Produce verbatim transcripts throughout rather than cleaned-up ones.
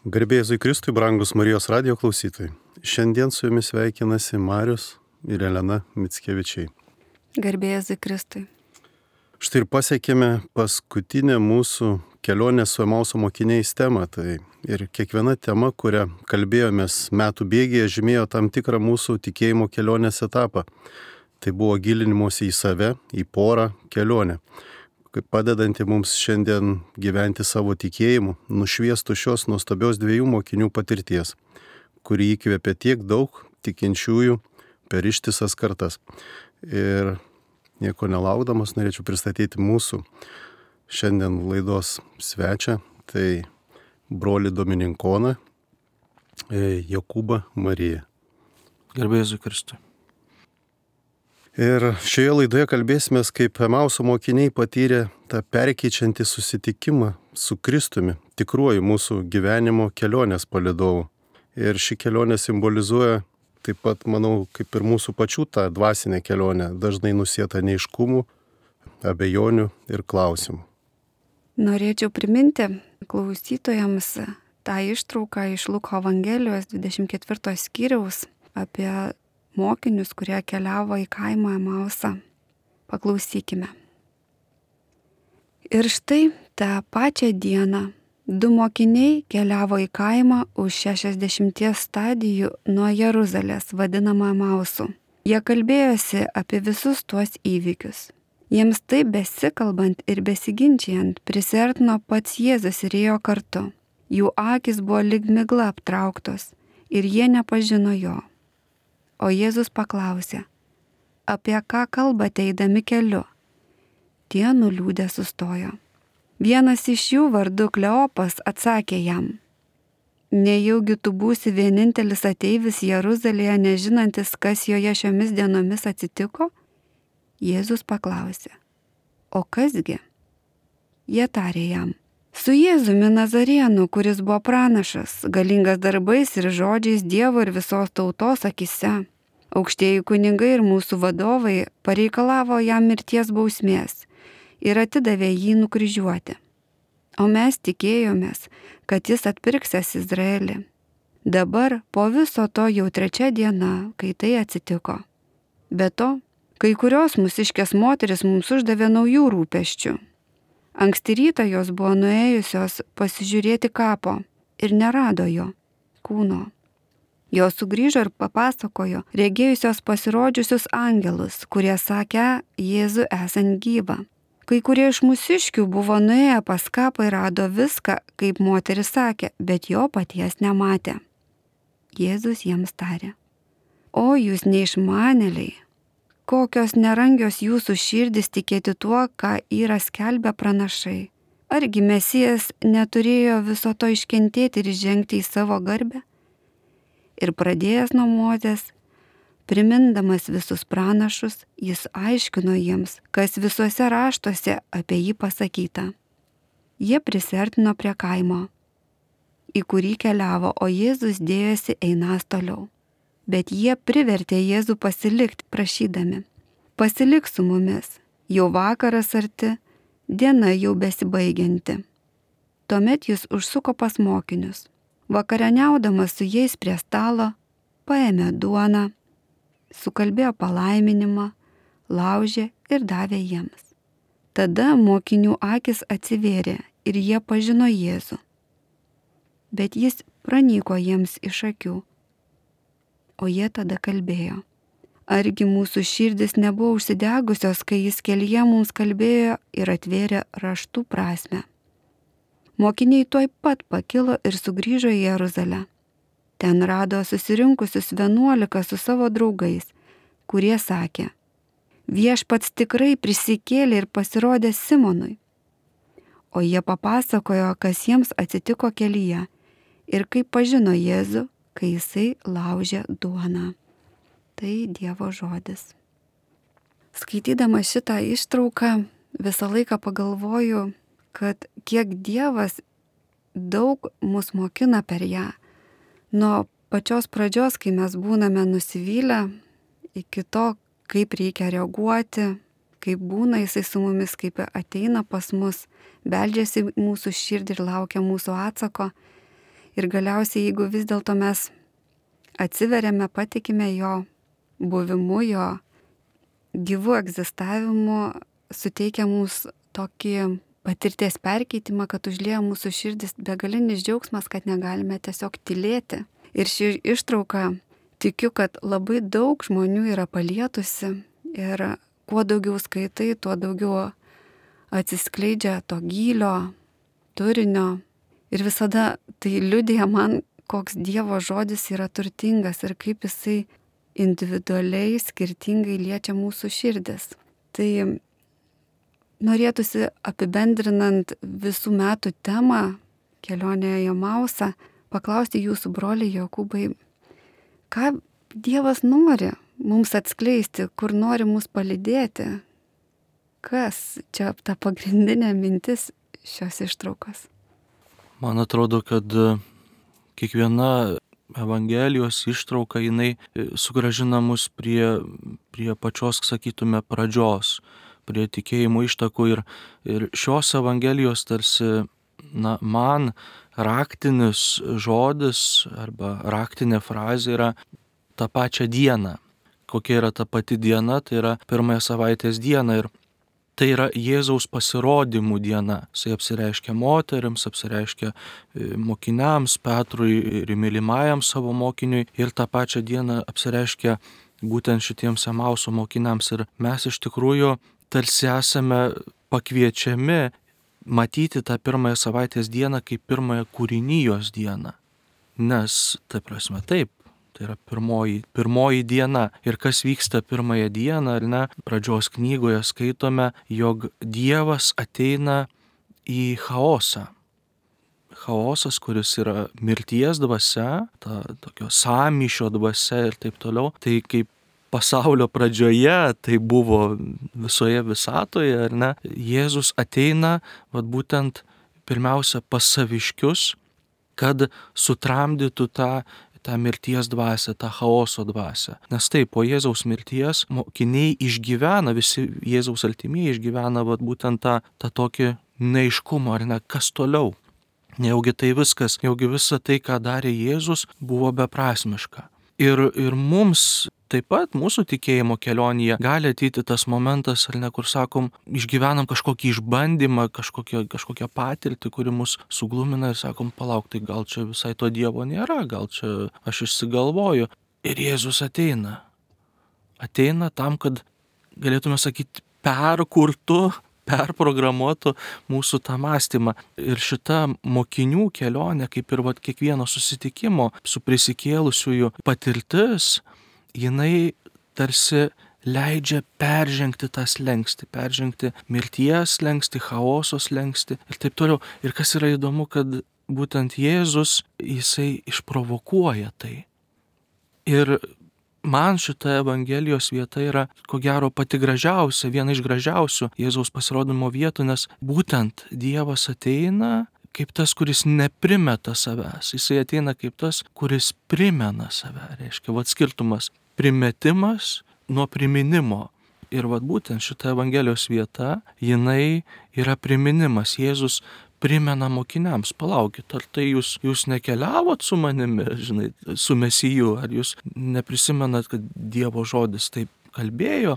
Garbė Jėzui Kristui, brangus Marijos radijo klausytojai. Šiandien su jumis sveikinasi Marius ir Elena Mickevičiai. Garbė Jėzui Kristui. Štai ir pasiekėme paskutinę mūsų kelionės su Emauso mokiniais temą. Tai ir kiekviena tema, kurią kalbėjomės metų bėgyje, žymėjo tam tikrą mūsų tikėjimo kelionės etapą. Tai buvo gilinimuose į save, į porą kelionę, kaip padedanti mums šiandien gyventi savo tikėjimu, nušviestų šios nuostabios dviejų mokinių patirties, kuri įkvėpė tiek daug tikinčiųjų per ištisas kartas. Ir nieko nelaukdamas norėčiau pristatyti mūsų šiandien laidos svečią, tai brolį Dominikoną, Jokūbą Mariją. Garbė Jėzui Kristui. Ir šioje laidoje kalbėsime, kaip Emauso mokiniai patyrė tą perkeičiantį susitikimą su Kristumi, tikruoju mūsų gyvenimo kelionės palydovu. Ir ši kelionė simbolizuoja taip pat, manau, kaip ir mūsų pačių tą dvasinę kelionę, dažnai nusietą neiškumų, abejonių ir klausimų. Norėčiau priminti klausytojams tą ištrauką iš Luko Evangelijos dvidešimt ketvirto skyriaus apie mokinius, kurie keliavo į kaimą Emausą. Paklausykime. Ir štai tą pačią dieną du mokiniai keliavo į kaimą už šešiasdešimties stadijų nuo Jeruzalės, vadinamą Emausu. Jie kalbėjosi apie visus tuos įvykius. Jiems taip besikalbant ir besiginčiant prisiartino pats Jėzus ir ėjo kartu. Jų akys buvo lyg migla aptrauktos ir jie nepažino jo. O Jėzus paklausė, apie ką kalbate eidami keliu? Tie nuliūdę sustojo. Vienas iš jų vardu Kleopas atsakė jam, nejaugi tu būsi vienintelis ateivis Jeruzalėje, nežinantis, kas joje šiomis dienomis atsitiko? Jėzus paklausė, o kasgi? Jie tarė jam, su Jėzumi Nazarėnu, kuris buvo pranašas, galingas darbais ir žodžiais Dievo ir visos tautos akise. Aukštieji kunigai ir mūsų vadovai pareikalavo jam mirties bausmės ir atidavė jį nukryžiuoti. O mes tikėjomės, kad jis atpirksęs Izraelį. Dabar po viso to jau trečia diena, kai tai atsitiko. Be to, kai kurios mūsiškės moteris mums uždavė naujų rūpesčių. Anksti rytą jos buvo nuėjusios pasižiūrėti kapo ir nerado jo kūno. Jos sugrįžo ir papasakojo regėjusios pasirodžiusius angelus, kurie sakė Jėzų esant gyvą. Kai kurie iš mūsiškių buvo nuėję pas kapą ir rado viską, kaip moteris sakė, bet jo paties nematė. Jėzus jiems tarė, o jūs neišmanėliai, kokios nerangios jūsų širdis tikėti tuo, ką yra skelbę pranašai. Argi Mesijas neturėjo viso to iškentėti ir žengti į savo garbę? Ir pradėjęs nuo Mozės, primindamas visus pranašus, jis aiškino jiems, kas visuose raštuose apie jį pasakyta. Jie prisiartino prie kaimo, į kurį keliavo, o Jėzus dėjosi einąs toliau. Bet jie privertė Jėzų pasilikti, prašydami, pasilik su mumis, jau vakaras arti, diena jau besibaigianti. Tuomet jis užsuko pas mokinius. Vakarieniaudamas su jais prie stalo, paėmė duoną, sukalbėjo palaiminimą, laužė ir davė jiems. Tada mokinių akis atsivėrė ir jie pažino Jėzų. Bet jis pranyko jiems iš akių. O jie tada kalbėjo, argi mūsų širdis nebuvo užsidegusios, kai jis kelyje mums kalbėjo ir atvėrė raštų prasmę. Mokiniai tuoj pat pakilo ir sugrįžo į Jeruzalę. Ten rado susirinkusius vienuolika su savo draugais, kurie sakė, viešpats tikrai prisikėlė ir pasirodė Simonui. O jie papasakojo, kas jiems atsitiko kelyje ir kaip pažino Jėzų, kai jisai laužė duoną. Tai Dievo žodis. Skaitydama šitą ištrauką visą laiką pagalvoju, kad kiek Dievas daug mus mokina per ją. Nuo pačios pradžios, kai mes būname nusivylę, iki to, kaip reikia reaguoti, kaip būna jisai su mumis, kaip ateina pas mus, beldžiasi mūsų širdį ir laukia mūsų atsako. Ir galiausiai, jeigu vis dėlto mes atsiveriame, patikime jo buvimu, jo gyvų egzistavimu, suteikia mums tokį patirties perkeitimą, kad užlieja mūsų širdis begalinis džiaugsmas, kad negalime tiesiog tylėti. Ir ši ištrauka, tikiu, kad labai daug žmonių yra palietusi ir kuo daugiau skaitai, tuo daugiau atsiskleidžia to gylio, turinio. Ir visada tai liudija man, koks Dievo žodis yra turtingas ir kaip jisai individualiai, skirtingai liečia mūsų širdis. Tai norėtųsi apibendrinant visų metų temą kelionėje į Emausą, paklausti jūsų broliai Jokūbai, ką Dievas nori mums atskleisti, kur nori mus palydėti, kas čia ta pagrindinė mintis šios ištraukos. Man atrodo, kad kiekviena Evangelijos ištrauka, jinai sugrąžina mus prie, prie pačios, sakytume, pradžios, prie tikėjimo ištakų ir, ir šios Evangelijos tarsi, na, man raktinis žodis arba raktinė frazė yra tą pačią dieną. Kokia yra ta pati diena, tai yra pirmąją savaitės diena ir tai yra Jėzaus pasirodymų diena. Jisai apsireiškia moteriams, apsireiškia mokiniams, Petrui ir mylimajam savo mokiniui ir tą pačią dieną apsireiškia būtent šitiems Emauso mokiniams. Ir mes iš tikrųjų tarsi esame pakviečiami matyti tą pirmąją savaitės dieną kaip pirmąją kūrinijos dieną. Nes, tai prasme, taip, tai yra pirmoji, pirmoji diena. Ir kas vyksta pirmąją dieną, ar ne, pradžios knygoje skaitome, jog Dievas ateina į chaosą. Chaosas, kuris yra mirties dvasia, ta tokio sąmyšio dvasia ir taip toliau. Tai kaip pasaulio pradžioje, tai buvo visoje visatoje, ar ne, Jėzus ateina, vat būtent pirmiausia pas saviškius, kad sutramdytų tą, tą mirties dvasią, tą chaoso dvasią. Nes taip, po Jėzaus mirties mokiniai išgyvena, visi Jėzaus artimieji išgyvena vat būtent tą, tą tokį neaiškumą, ar ne, kas toliau. Nejaugi tai viskas, nejaugi visa tai, ką darė Jėzus, buvo beprasmiška. Ir, ir mums taip pat mūsų tikėjimo kelionėje gali ateiti tas momentas, ar ne, kur sakom, išgyvenam kažkokį išbandymą, kažkokią, kažkokią patirtį, kuri mus suglumina ir sakom, palauk, tai gal čia visai to Dievo nėra, gal čia aš išsigalvoju. Ir Jėzus ateina. Ateina tam, kad galėtume sakyti, perkurtų, perprogramuotų mūsų tą mąstymą. Ir šita mokinių kelionė, kaip ir vat kiekvieno susitikimo su prisikėlusiųjų patirtis, jinai tarsi leidžia peržengti tą slenkstį, peržengti mirties slenkstį, chaoso slenkstį ir taip toliau. Ir kas yra įdomu, kad būtent Jėzus, jisai išprovokuoja tai. Ir man šita Evangelijos vieta yra, ko gero, pati gražiausia, viena iš gražiausių Jėzaus pasirodymo vietų, nes būtent Dievas ateina kaip tas, kuris neprimeta savęs. Jisai ateina kaip tas, kuris primena save. Reiškia, vat skirtumas primetimas nuo priminimo. Ir vat būtent šita Evangelijos vieta, jinai yra priminimas. Jėzus primena mokiniams, palaukit, ar tai jūs, jūs nekeliavot su manimi, žinai, su Mesiju, ar jūs neprisimenat, kad Dievo žodis taip kalbėjo.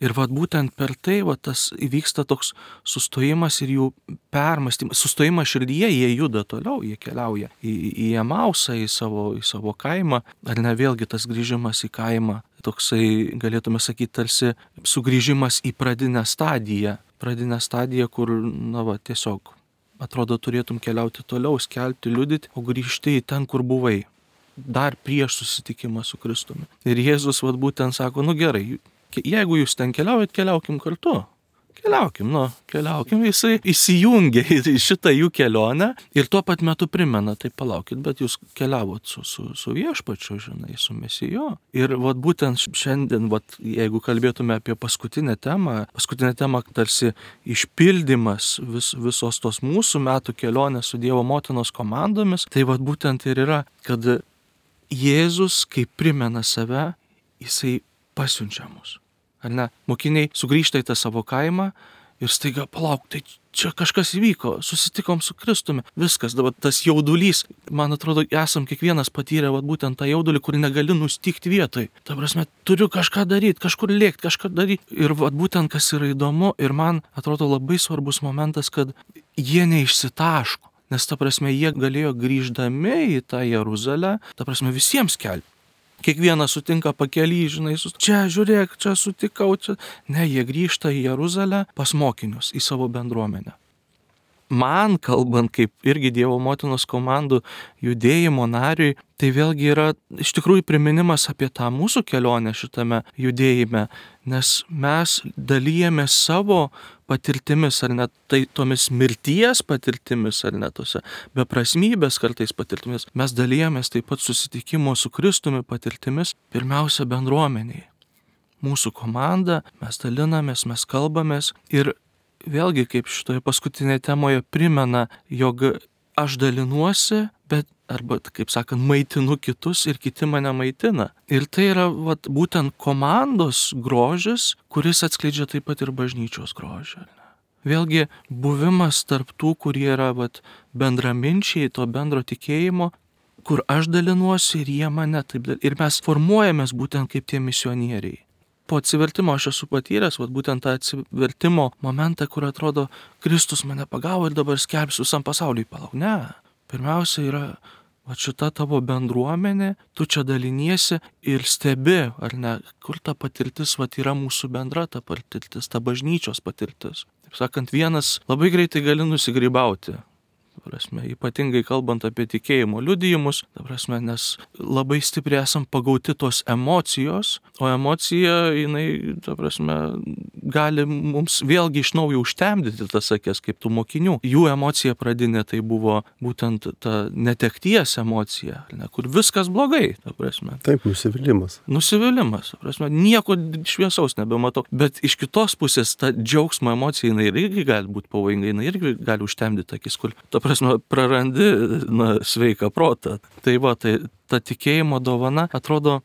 Ir vat būtent per tai vat tas įvyksta toks sustojimas ir jų permąstymas. Sustojimas širdyje, jie juda toliau, jie keliauja į, į Emausą, į savo, į savo kaimą. Ar ne, vėlgi tas grįžimas į kaimą, toksai, galėtume sakyti, tarsi sugrįžimas į pradinę stadiją. Pradinę stadiją, kur, na va, tiesiog atrodo turėtum keliauti toliau, skelbti, liudyti, o grįžti į ten, kur buvai. Dar prieš susitikimą su Kristumi. Ir Jėzus vat būtent sako, nu gerai, jeigu jūs ten keliaujat, keliaukim kartu. Keliaukim, nu, keliaukim. Jisai įsijungia į šitą jų kelionę ir tuo pat metu primena, tai palaukit, bet jūs keliavot su, su, su viešpačiu, žinai, su Mesiju. Ir vat būtent šiandien, vat, jeigu kalbėtume apie paskutinę temą, paskutinę temą tarsi išpildymas vis, visos tos mūsų metų kelionės su Dievo motinos komandomis, tai vat būtent ir yra, kad Jėzus, kai primena save, jisai pasiunčia mus. Ar ne? Mokiniai sugrįžta į tą savo kaimą ir staiga palauk, tai čia kažkas įvyko, susitikom su Kristumi, viskas, dabar tas jaudulys, man atrodo, esam kiekvienas patyrę vat, būtent tą jaudulį, kur negali nustikti vietoj. Ta prasme, turiu kažką daryti, kažkur lėkti, kažką daryti. Ir vat, būtent kas yra įdomu ir man atrodo labai svarbus momentas, kad jie neišsitaško, nes ta prasme, jie galėjo grįždami į tą Jeruzalę, ta prasme, visiems skelbti. Kiekvienas sutinka pakely, žinai, sus... čia žiūrėk, čia sutikau, čia. Ne, jie grįžta į Jeruzalę pas mokinius, į savo bendruomenę. Man, kalbant kaip irgi Dievo motinos komandų judėjimo nariui, tai vėlgi yra iš tikrųjų priminimas apie tą mūsų kelionę šitame judėjime, nes mes dalyjame savo patirtimis, ar net tai tomis mirties patirtimis, ar net tose beprasmybės kartais patirtimis. Mes dalyjamės taip pat susitikimo su Kristumi patirtimis, pirmiausia bendruomeniai. Mūsų komanda, mes dalinamės, mes kalbamės ir vėlgi, kaip šitoje paskutinėje temoje primena, jog aš dalinuosi, bet, arba, kaip sakant, maitinu kitus ir kiti mane maitina. Ir tai yra vat, būtent komandos grožis, kuris atskleidžia taip pat ir bažnyčios grožį. Vėlgi, buvimas tarp tų, kurie yra vat, bendraminčiai, to bendro tikėjimo, kur aš dalinuosi ir jie mane taip dalinuosi. Ir mes formuojamės būtent kaip tie misionieriai. Po atsivertimo aš esu patyręs, vat, būtent tą atsivertimo momentą, kur atrodo, Kristus mane pagavo ir dabar skelbsiu visam pasauliui. Palauk, ne. Pirmiausia yra vat, šita tavo bendruomenė, tu čia daliniesi ir stebi, ar ne, kur ta patirtis vat, yra mūsų bendra ta patirtis, ta bažnyčios patirtis. Taip sakant, vienas labai greitai gali nusigrybauti. Prasme, ypatingai kalbant apie tikėjimo liudijimus, prasme, nes labai stipriai esam pagauti tos emocijos, o emocija, jinai, prasme, gali mums vėlgi iš naujo užtemdyti tas akis, kaip tų mokinių. Jų emocija pradinė tai buvo būtent ta netekties emocija, ne, kur viskas blogai, prasme. Taip, nusivylimas. Nusivylimas, prasme, nieko šviesaus nebematau, bet iš kitos pusės ta džiaugsmo emocija, jinai irgi gali būti pavojinga, jinai irgi gali užtemdyti akis, kur ta prasme, prarandi na, sveiką protą. Tai va, tai ta tikėjimo dovana, atrodo,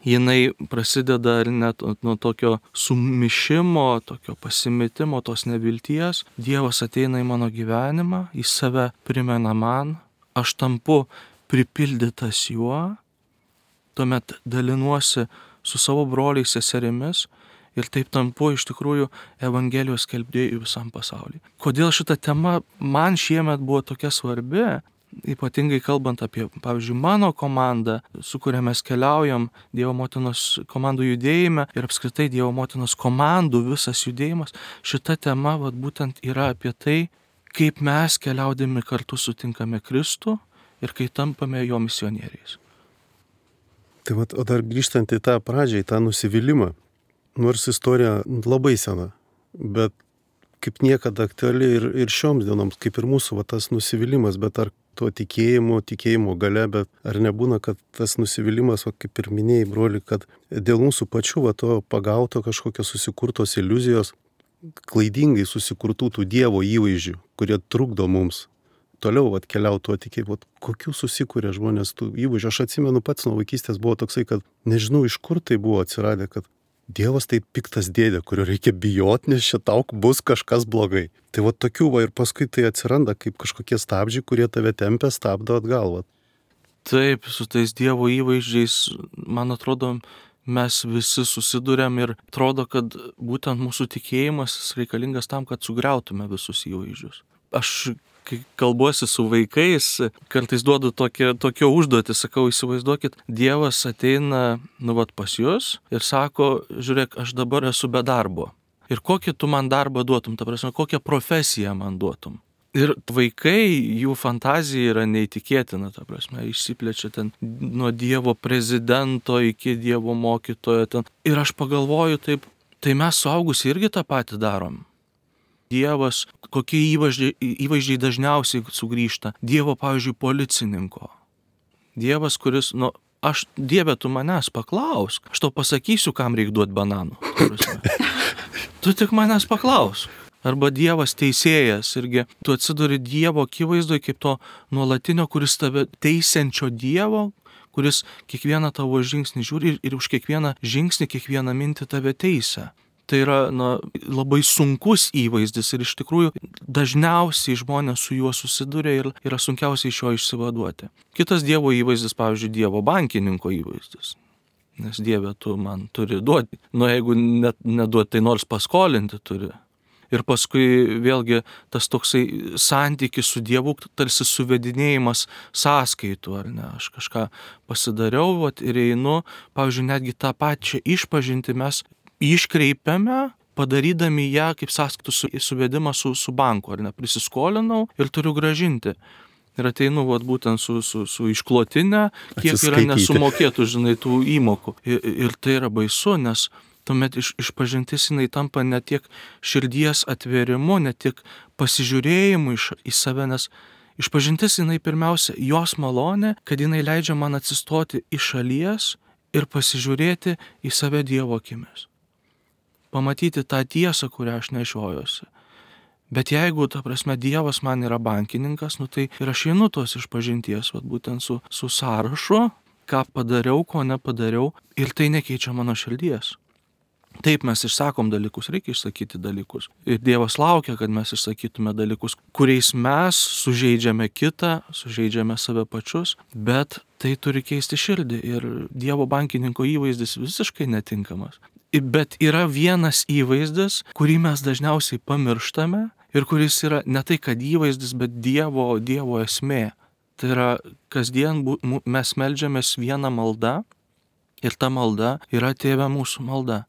jinai prasideda ar net nuo tokio sumišimo, tokio pasimetimo, tos nevilties. Dievas ateina į mano gyvenimą, į save primena man, aš tampu pripildytas juo, tuomet dalinuosi su savo broliais seserimis, ir taip tampu iš tikrųjų Evangelijos skelbėjų visam pasauliui. Kodėl šita tema man šiemet buvo tokia svarbi, ypatingai kalbant apie, pavyzdžiui, mano komandą, su kuria mes keliaujam Dievo motinos komandų judėjime ir apskritai Dievo motinos komandų visas judėjimas, šita tema vat, būtent yra apie tai, kaip mes keliaudami kartu sutinkame Kristų ir kai tampame jo misionieriais. Tai vat, o dar grįžtant į tą pradžią, į tą nusivylimą, nors istorija labai sena, bet kaip niekada aktuali ir, ir šioms dienoms, kaip ir mūsų va, tas nusivylimas, bet ar to tikėjimo, tikėjimo gale, bet ar nebūna, kad tas nusivylimas, va, kaip ir minėjai, broli, kad dėl mūsų pačių va, to pagauto kažkokios susikurtos iliuzijos, klaidingai susikurtų tų Dievo įvaizdžių, kurie trukdo mums toliau atkeliauti tuo tikėjimu, kokių susikūrė žmonės tų įvaizdžių. Aš atsimenu pats nuo vaikystės buvo toksai, kad nežinau iš kur tai buvo atsiradę, kad Dievas tai piktas dėdė, kurio reikia bijoti, nes čia tau bus kažkas blogai. Tai va tokių va ir paskui tai atsiranda kaip kažkokie stabdžiai, kurie tave tempia, stabdo atgal. Va. Taip, su tais Dievo įvaizdžiais, man atrodo, mes visi susiduriam ir atrodo, kad būtent mūsų tikėjimas reikalingas tam, kad sugriautume visus įvaizdžius. Aš kai kalbuosi su vaikais, kartais duodu tokią, tokią užduotį, sakau, įsivaizduokit, Dievas ateina, nu vat pas jūs ir sako, žiūrėk, aš dabar esu be darbo. Ir kokį tu man darbą duotum, ta prasme, kokią profesiją man duotum. Ir vaikai, jų fantazija yra neįtikėtina, ta prasme, išsiplečia ten nuo Dievo prezidento iki Dievo mokytojo ten. Ir aš pagalvoju taip, tai mes suaugusi irgi tą patį darom. Dievas, kokie įvaizdžiai, įvaizdžiai dažniausiai sugrįžta. Dievo, pavyzdžiui, policininko. Dievas, kuris, nu, aš, Dieve, tu manęs paklausk. Aš tau pasakysiu, kam reikia duoti bananų. Tu tik manęs paklausk. Arba Dievas teisėjas irgi. Tu atsiduri Dievo akivaizdoje kaip to nuolatinio, kuris tave teisiančio Dievo, kuris kiekvieną tavo žingsnį žiūri ir, ir už kiekvieną žingsnį, kiekvieną mintį tave teisia. tai yra na, labai sunkus įvaizdis ir iš tikrųjų dažniausiai žmonės su juo susiduria ir yra sunkiausiai iš jo išsivaduoti. Kitas Dievo įvaizdis, pavyzdžiui, Dievo bankininko įvaizdis. Nes Dieve, tu man turi duoti. Nu, jeigu net neduoti, tai nors paskolinti turi. Ir paskui vėlgi tas toksai santykis su Dievu, tarsi suvedinėjimas sąskaitų, ar ne, aš kažką pasidariau vat, ir einu, pavyzdžiui, netgi tą pačią išpažintį mes iškreipiame, padarydami ją kaip sąskaitų su, suvedimą su, su banku, ar ne, prisiskolinau ir turiu gražinti. Ir ateinu vat, būtent su, su, su išklotinė, kiek yra nesumokėtų, žinai, tų įmokų. Ir, ir tai yra baisu, nes tuomet iš, išpažintis jinai tampa ne tiek širdies atvėrimu, ne tiek pasižiūrėjimu iš, į save, nes išpažintis jinai pirmiausia jos malonė, kad jinai leidžia man atsistoti iš šalies ir pasižiūrėti į save Dievo akimis. Pamatyti tą tiesą, kurią aš nešiojuosi. Bet jeigu, ta prasme, Dievas man yra bankininkas, nu tai ir aš einu tos išpažinties, vat, būtent su, su sąrašu, ką padariau, ko nepadariau, ir tai nekeičia mano širdies. Taip mes išsakom dalykus, reikia išsakyti dalykus. Ir Dievas laukia, kad mes išsakytume dalykus, kuriais mes sužeidžiame kitą, sužeidžiame save pačius, bet tai turi keisti širdį ir Dievo bankininko įvaizdis visiškai netinkamas. Bet yra vienas įvaizdis, kurį mes dažniausiai pamirštame ir kuris yra ne tai, kad įvaizdis, bet Dievo, Dievo esmė. Tai yra kasdien mes meldžiamės vieną maldą ir ta malda yra Tėve mūsų malda.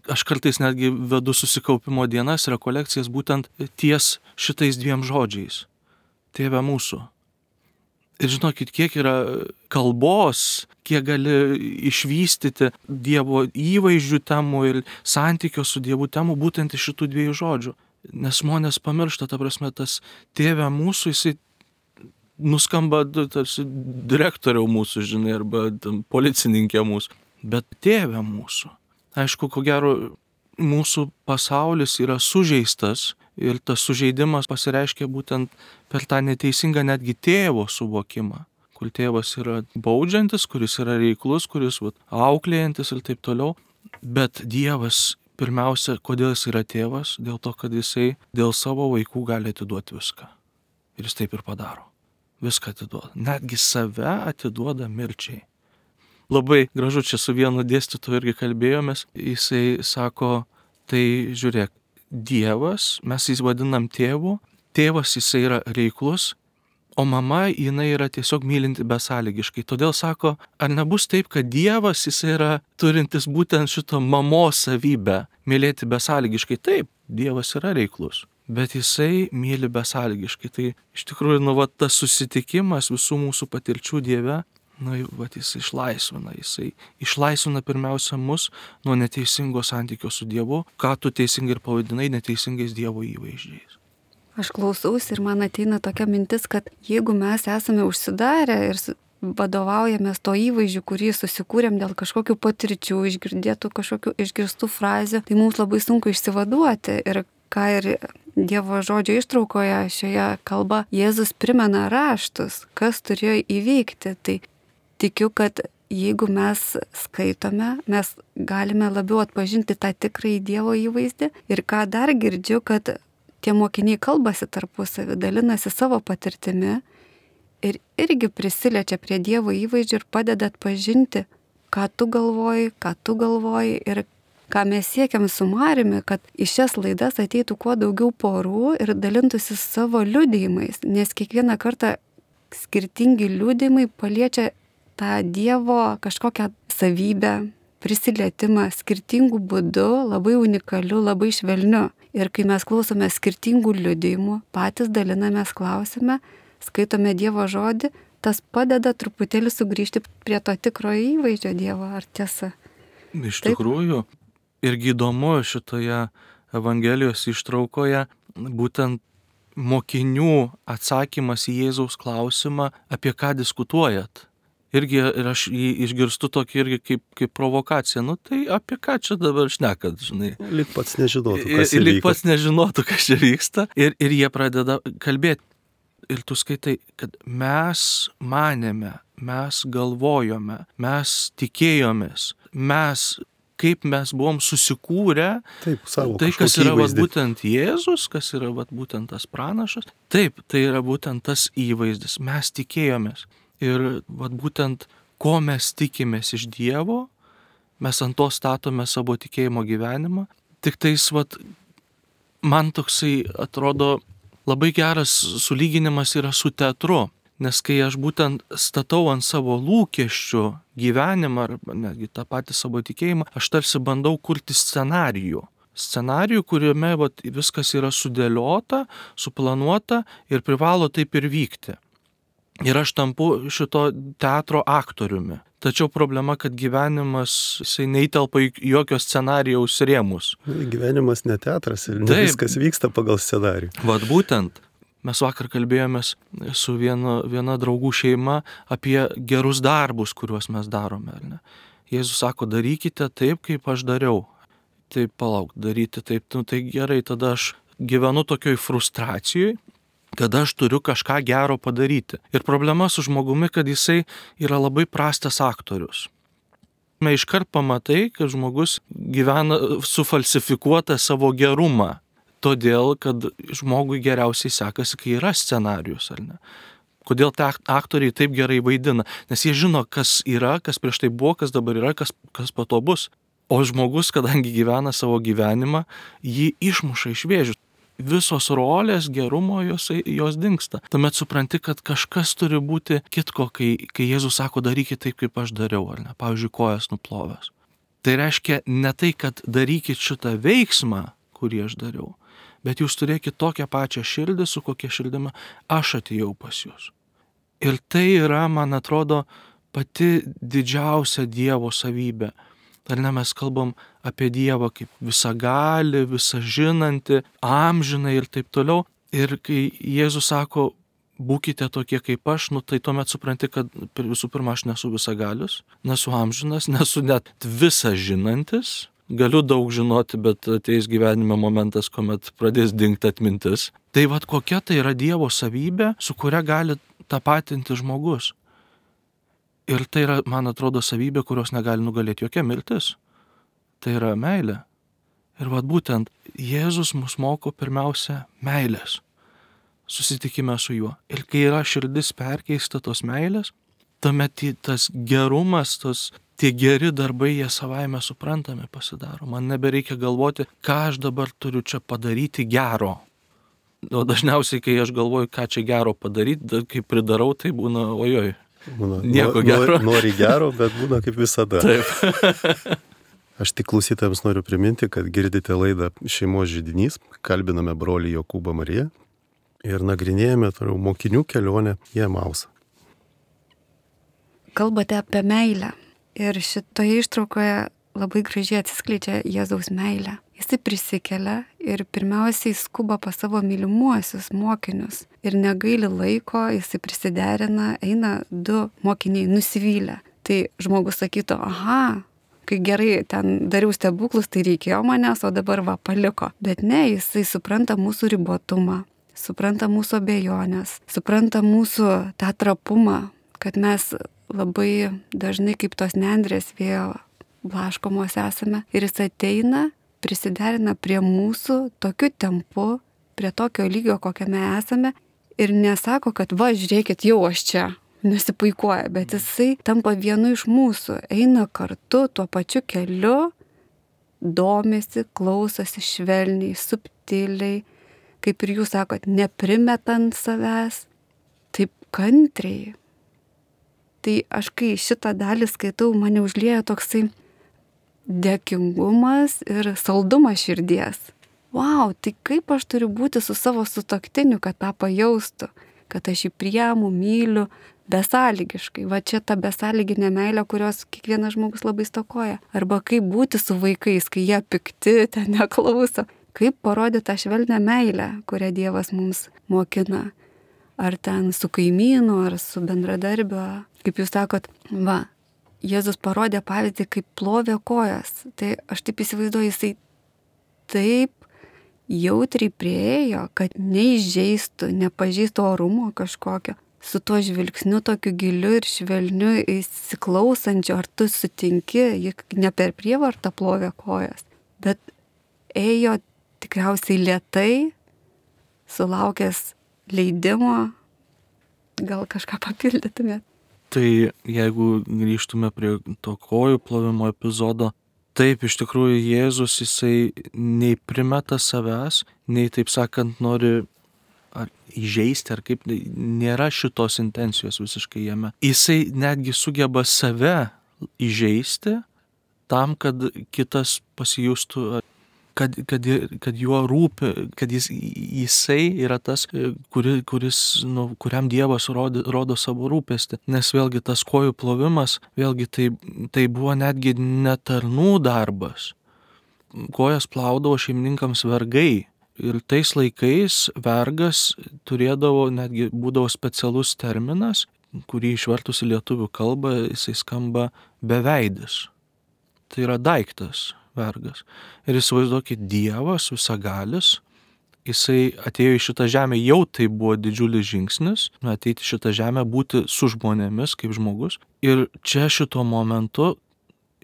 Aš kartais netgi vedu susikaupimo dienas, rekolekcijas būtent ties šitais dviem žodžiais. Tėve mūsų. Ir žinokit, kiek yra kalbos, kiek gali išvystyti Dievo įvaizdžių temų ir santykio su Dievu temų būtent iš šitų dviejų žodžių. Nes žmonės pamiršta, ta prasme, tas Tėve mūsų, jisai nuskamba tarsi direktoriau mūsų, žinai, arba policininkė mūsų. Bet Tėve mūsų. Aišku, ko gero, mūsų pasaulis yra sužeistas ir tas sužeidimas pasireiškia būtent per tą neteisingą netgi tėvo suvokimą, kur tėvas yra baudžiantis, kuris yra reiklus, kuris vat, auklėjantis ir taip toliau. Bet Dievas pirmiausia, kodėl jis yra tėvas? Dėl to, kad jisai dėl savo vaikų gali atiduoti viską. Ir jis taip ir padaro. Viską atiduoda. Netgi save atiduoda mirčiai. Labai gražu, čia su vienu dėstytoju irgi kalbėjomės, jisai sako, tai žiūrėk, Dievas, mes jį vadinam tėvu, tėvas jisai yra reiklus, o mama jinai yra tiesiog mylinti besąlygiškai. Todėl sako, ar nebus taip, kad Dievas jisai yra turintis būtent šito mamos savybę, mylėti besąlygiškai. Taip, Dievas yra reiklus, bet jisai myli besąlygiškai. Tai iš tikrųjų, nu, va, tas susitikimas visų mūsų patirčių Dieve, na, va, jis išlaisvina, jisai išlaisvina pirmiausia mus nuo neteisingo santykio su Dievu, ką tu teisingai ir pavadinai neteisingais Dievo įvaizdžiais. Aš klausausi ir man ateina tokia mintis, kad jeigu mes esame užsidarę ir vadovaujamės to įvaizdžiu, kurį susikūrėm dėl kažkokių patirčių, išgirdėtų kažkokių išgirstų frazių, tai mums labai sunku išsivaduoti. Ir ką ir Dievo žodžio ištraukoje šioje kalba Jėzus primena raštus, kas turėjo įvykti. Tai tikiu, kad jeigu mes skaitome, mes galime labiau atpažinti tą tikrąjį Dievo įvaizdį. Ir ką dar girdžiu, kad tie mokiniai kalbasi tarpusavį, dalinasi savo patirtimi ir irgi prisiliečia prie Dievo įvaizdžių ir padeda atpažinti, ką tu galvoji, ką tu galvoji ir ką mes siekiam su Mariumi, kad į šias laidas ateitų kuo daugiau porų ir dalintųsi savo liudijimais, nes kiekvieną kartą skirtingi liudijimai paliečia tą Dievo kažkokią savybę, prisilietimą skirtingų būdų, labai unikaliu, labai švelniu. Ir kai mes klausome skirtingų liudijimų, patys dalinamės, klausime, skaitome Dievo žodį, tas padeda truputėlį sugrįžti prie to tikrojo įvaizdžio Dievo, ar tiesa? Iš tikrųjų, irgi įdomu šitoje Evangelijos ištraukoje būtent mokinių atsakymas į Jėzaus klausimą, apie ką diskutuojat. Irgi ir aš jį išgirstu tokį irgi kaip, kaip provokaciją. Nu tai apie ką čia dabar šnekat, žinai? Lyg pats nežinotų, kas įvyko. Lyg įvyko. pats nežinotų, kas čia vyksta. Ir, ir jie pradeda kalbėti. Ir tu skaitai, kad mes manėme, mes galvojome, mes tikėjomės, mes kaip mes buvom susikūrę, Taip, savo tai, kas kažkokį yra vat, įvaizdį. būtent Jėzus, kas yra vat, būtent tas pranašas, taip, tai yra būtent tas įvaizdis. Mes tikėjomės. Ir vat, būtent ko mes tikimės iš Dievo, mes ant to statome savo tikėjimo gyvenimą. Tik tais, vat, man toksai atrodo labai geras sulyginimas yra su teatru. Nes kai aš būtent statau ant savo lūkesčių gyvenimą, arba netgi tą patį savo tikėjimą, aš tarsi bandau kurti scenarijų. Scenarijų, kuriame vat, viskas yra sudėliota, suplanuota ir privalo taip ir vykti. Ir aš tampu šito teatro aktoriumi. Tačiau problema, kad gyvenimas jisai neįtelpa į jokio scenarijaus rėmus. Gyvenimas ne teatras ir ne Taip. viskas vyksta pagal scenarijų. Vat būtent. Mes vakar kalbėjomės su viena, viena draugų šeima apie gerus darbus, kuriuos mes darome. Ar ne? Jėzus sako, darykite taip, kaip aš dariau. Taip, palauk, daryti taip, nu, tai gerai, tada aš gyvenu tokioj frustracijoj, kad aš turiu kažką gero padaryti. Ir problema su žmogumi, kad jisai yra labai prastas aktorius. Mes iškart pamatai, kad žmogus gyvena sufalsifikuotą savo gerumą. Todėl, kad žmogui geriausiai sekasi, kai yra scenarius, ar ne? Kodėl te aktoriai taip gerai vaidina? Nes jie žino, kas yra, kas prieš tai buvo, kas dabar yra, kas, kas po to bus. O žmogus, kadangi gyvena savo gyvenimą, jį išmuša iš vėžių. Visos rolės, gerumo jos, jos dingsta. Tuomet supranti, kad kažkas turi būti kitko, kai, kai Jėzus sako, darykit taip, kaip aš dariau, ar ne? Pavyzdžiui, kojas nuplovęs. Tai reiškia ne tai, kad darykit šitą veiksmą, kurį aš dariau, bet jūs turėkit tokią pačią širdį, su kokia širdimi aš atėjau pas jūs. Ir tai yra, man atrodo, pati didžiausia Dievo savybė. Ar ne, mes kalbam apie Dievą kaip visagalį, visažinantį, amžiną ir taip toliau. Ir kai Jėzus sako, būkite tokie kaip aš, nu tai tuomet supranti, kad visų pirma aš nesu visagalis, nesu amžinas, nesu net visažinantis. Galiu daug žinoti, bet ateis gyvenime momentas, kuomet pradės dingti atmintis. Tai vat kokia tai yra Dievo savybė, su kuria gali tapatinti žmogus. Ir tai yra, man atrodo, savybė, kurios negali nugalėti jokia mirtis. Tai yra meilė. Ir vat būtent Jėzus mus moko pirmiausia meilės. Susitikime su juo. Ir kai yra širdis perkeista tos meilės, tuomet tas gerumas, tos tie geri darbai, jie savaime suprantami pasidaro. Man nebereikia galvoti, ką aš dabar turiu čia padaryti gero. O dažniausiai, kai aš galvoju, ką čia gero padaryti, kai pridarau, tai būna ojoj. Būna, nieko nori, gero. Nori gero, bet būna kaip visada. Taip. Aš tik klausytojams noriu priminti, kad girdite laidą Šeimos židinys, kalbiname brolį Jokūbą Mariją ir nagrinėjame toliau mokinių kelionę į Emausą. Kalbate apie meilę. Ir šitoje ištraukoje labai gražiai atsiskleidžia Jėzaus meilė. Jisai prisikelia ir pirmiausiai skuba pas savo mylimuosius mokinius. Ir negaili laiko, jisai prisiderina, eina du mokiniai nusivylę. Tai žmogus sakytų, aha, kai gerai ten dariau stebuklus, tai reikėjo manęs, o dabar va paliko. Bet ne, jisai supranta mūsų ribotumą, supranta mūsų abejonės, supranta mūsų tą trapumą, kad mes labai dažnai kaip tos nendrės vėjo blaškomos esame. Ir jis ateina, prisiderina prie mūsų tokiu tempu, prie tokio lygio, kokiame esame. Ir nesako, kad va, žiūrėkit, jau aš čia, nesipuikuoja. Bet jisai tampa vienu iš mūsų, eina kartu tuo pačiu keliu, domisi, klausosi švelniai, subtiliai, kaip ir jūs sakot, neprimetant savęs, taip kantriai. Tai aš kai šitą dalį skaitau, mane užlieja toksai dėkingumas ir saldumas širdies. Vau, tai kaip aš turiu būti su savo sutuoktiniu, kad tą pajaustų, kad aš jį priemu, myliu besąlygiškai. Va čia ta besąlyginė meilė, kurios kiekvienas žmogus labai stokoja. Arba kaip būti su vaikais, kai jie pikti, ten neklauso. Kaip parodyti tą švelnią meilę, kurią Dievas mums mokina. Ar ten su kaimynu, ar su bendradarbiu. Kaip jūs sakot, va, Jėzus parodė pavyzdį, kaip plovė kojas. Tai aš taip įsivaizduoju, jisai taip jautriai prieėjo, kad neįžeistų, nepažįstų orumo kažkokio. su tuo žvilgsniu tokiu giliu ir švelniu įsiklausančiu, ar tu sutinki, juk ne per prievartą plovė kojas, bet ėjo tikriausiai lėtai, sulaukęs leidimo. Gal kažką papildytumėt? Tai jeigu grįžtume prie to kojų plovimo epizodo, taip, iš tikrųjų Jėzus, jisai nei primeta savęs, nei, taip sakant, nori ar įžeisti, ar kaip, nėra šitos intencijos visiškai jame. Jisai netgi sugeba save įžeisti tam, kad kitas pasijustų, kad, kad, kad juo rūpi, kad jis, jisai yra tas, kuri, kuris, nu, kuriam Dievas rodo, rodo savo rūpestį. Nes vėlgi tas kojų plovimas, vėlgi tai, tai buvo netgi netarnų darbas. Kojas plaudavo šeimininkams vergai. Ir tais laikais vergas turėdavo, netgi būdavo specialus terminas, kurį išvertus į lietuvių kalbą, jisai skamba beveidis. Tai yra daiktas vergas. Ir įsivaizduokit, Dievas visagalis, jisai atėjo į šitą žemę, jau tai buvo didžiulis žingsnis, ateiti į šitą žemę, būti su žmonėmis kaip žmogus. Ir čia šituo momentu,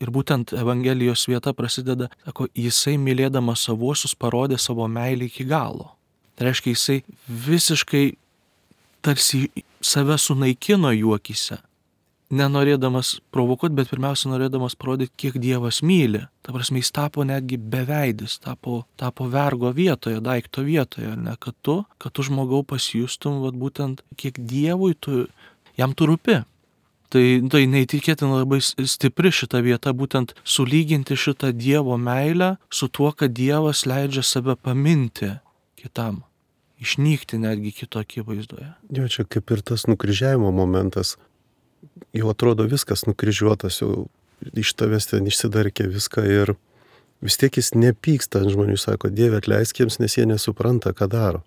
ir būtent Evangelijos vieta prasideda, sako, jisai mylėdamas savuosius parodė savo meilę iki galo. Tai reiškia, jisai visiškai tarsi save sunaikino jų akyse. Nenorėdamas provokuoti, bet pirmiausia norėdamas parodyti, kiek Dievas myli. Ta prasme, jis tapo netgi beveidis, tapo, tapo vergo vietoje, daikto vietoje, ne, kad tu, kad tu žmogau pasijustum, vat, būtent, kiek Dievui tu, jam tu rūpi. Tai, tai neįtikėtina labai stipri šita vieta, būtent sulyginti šitą Dievo meilę su tuo, kad Dievas leidžia save paminti kitam, išnykti netgi kito akivaizdoje. Jo, čia kaip ir tas nukryžiavimo momentas. Jau atrodo viskas nukryžiuotas, jau iš tavęs ten išsidarkė viską ir vis tiek jis nepyksta ant žmonių, sako, Dieve atleisk jiems, nes jie nesupranta, ką daro.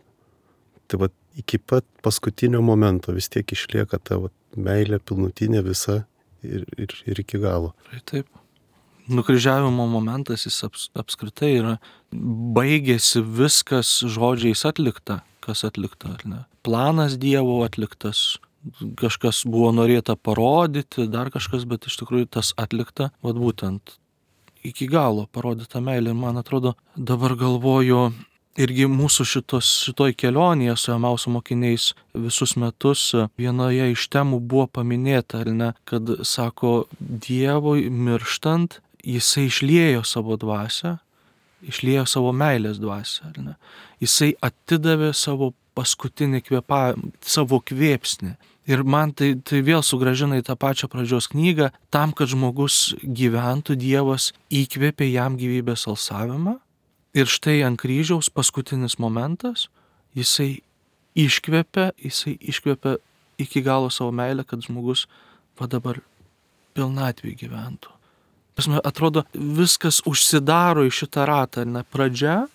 Tai va, iki pat paskutinio momento vis tiek išlieka ta va, meilė pilnutinė visa ir, ir, ir iki galo. Taip. Nukryžiavimo momentas jis aps, apskritai yra, baigėsi viskas žodžiais atlikta, kas atlikta, ar ne? Planas Dievo atliktas, kažkas buvo norėta parodyti, dar kažkas, bet iš tikrųjų tas atlikta, vat būtent iki galo parodyta meilė. Ir man atrodo, dabar galvoju, irgi mūsų šitos, šitoj kelionėje su Emauso mokiniais visus metus vienoje iš temų buvo paminėta, ar ne, kad, sako, Dievui mirštant, jisai išliejo savo dvasią, išliejo savo meilės dvasią, ar ne. Jisai atidavė savo paskutinį kvėpavimą, savo kvėpsnį. Ir man tai, tai vėl sugrąžina į tą pačią pradžios knygą, tam, kad žmogus gyventų, Dievas įkvėpė jam gyvybės alsavimą. Ir štai ant kryžiaus paskutinis momentas, jisai iškvėpė, jisai iškvėpė iki galo savo meilę, kad žmogus va dabar pilnatvį gyventų. Pasme, atrodo, viskas užsidaro į šitą ratą, ne, pradžia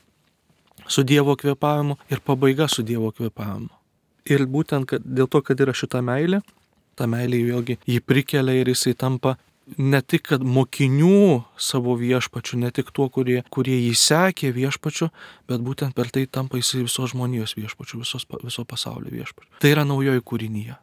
su Dievo kvėpavimu ir pabaiga su Dievo kvėpavimu. Ir būtent kad, dėl to, kad yra šita meilė, ta meilė vėlgi jį prikelia ir jisai tampa ne tik kad mokinių savo viešpačiu, ne tik tuo, kurie, kurie jį sekė viešpačiu, bet būtent per tai tampa jisai visos žmonijos viešpačiu, visos, viso pasaulio viešpačiu. Tai yra naujoji kūrinyje,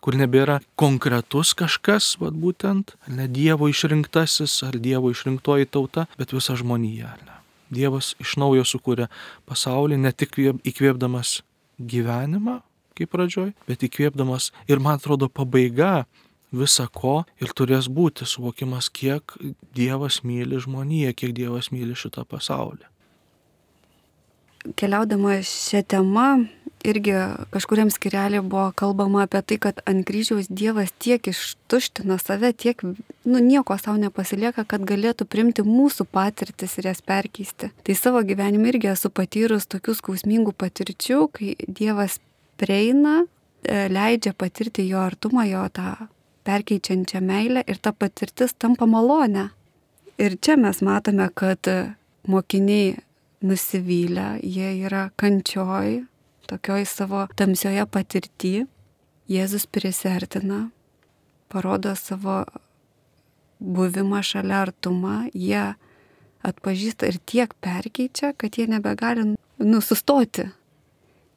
kur nebėra konkretus kažkas, vat būtent, ne Dievo išrinktasis ar Dievo išrinktoji tauta, bet visa žmonija. Ne? Dievas iš naujo sukūrė pasaulį, ne tik įkvėpdamas gyvenimą, kaip pradžioj, bet įkvėpdamas ir, man atrodo, pabaiga visa ko ir turės būti suvokimas, kiek Dievas myli žmoniją, kiek Dievas myli šitą pasaulį. Keliaudama šią temą, irgi kažkuriam skirelį buvo kalbama apie tai, kad ant kryžiaus Dievas tiek ištuština save, tiek, nu, nieko savo nepasilieka, kad galėtų priimti mūsų patirtis ir jas perkeisti. Tai savo gyvenime irgi esu patyrus tokių skausmingų patirčių, kai Dievas prieina, leidžia patirti jo artumą, jo tą perkeičiančią meilę ir ta patirtis tampa malonė. Ir čia mes matome, kad mokiniai nusivylę, jie yra kančioj, tokioj savo tamsioje patirty. Jėzus prisiartina, parodo savo buvimą šalia artumą, jie atpažįsta ir tiek perkeičia, kad jie nebegali nusustoti.